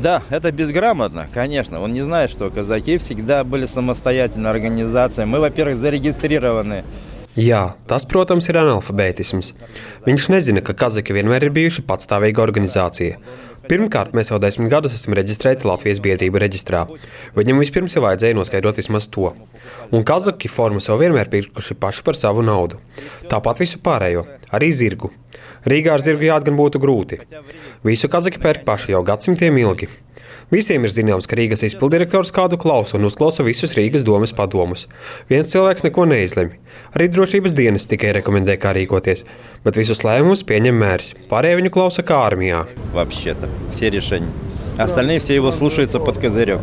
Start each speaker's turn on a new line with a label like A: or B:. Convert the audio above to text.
A: Да, это безграмотно, конечно. Он не знает, что казаки всегда были самостоятельной организацией. Мы, во-первых, зарегистрированы.
B: Jā, tas, protams, ir analfabētisms. Viņš nezina, ka kazaki vienmēr ir bijuši patstāvīga organizācija. Pirmkārt, mēs jau 10 gadus esam reģistrēti Latvijas biedrību reģistrā. Viņam vispirms jau vajadzēja noskaidrot vismaz to. Un kazaki formu jau vienmēr pirkuši paši par savu naudu. Tāpat visu pārējo, arī zirgu. Rīgā ar zirgu jāt gan būtu grūti. Visu kazaki pērk paši jau gadsimtiem ilgi. Visiem ir zināms, ka Rīgas izpildirektors kādu klausa un uzklausa visus Rīgas domes padomus. Viens cilvēks neko neizlemj. Arī drošības dienas tikai rekomendē, kā rīkoties, bet visus lēmumus pieņem mērs. Pārējie viņu klausa kā armijā.
A: Вообще-то, все решения. Остальные все его слушаются под козырек.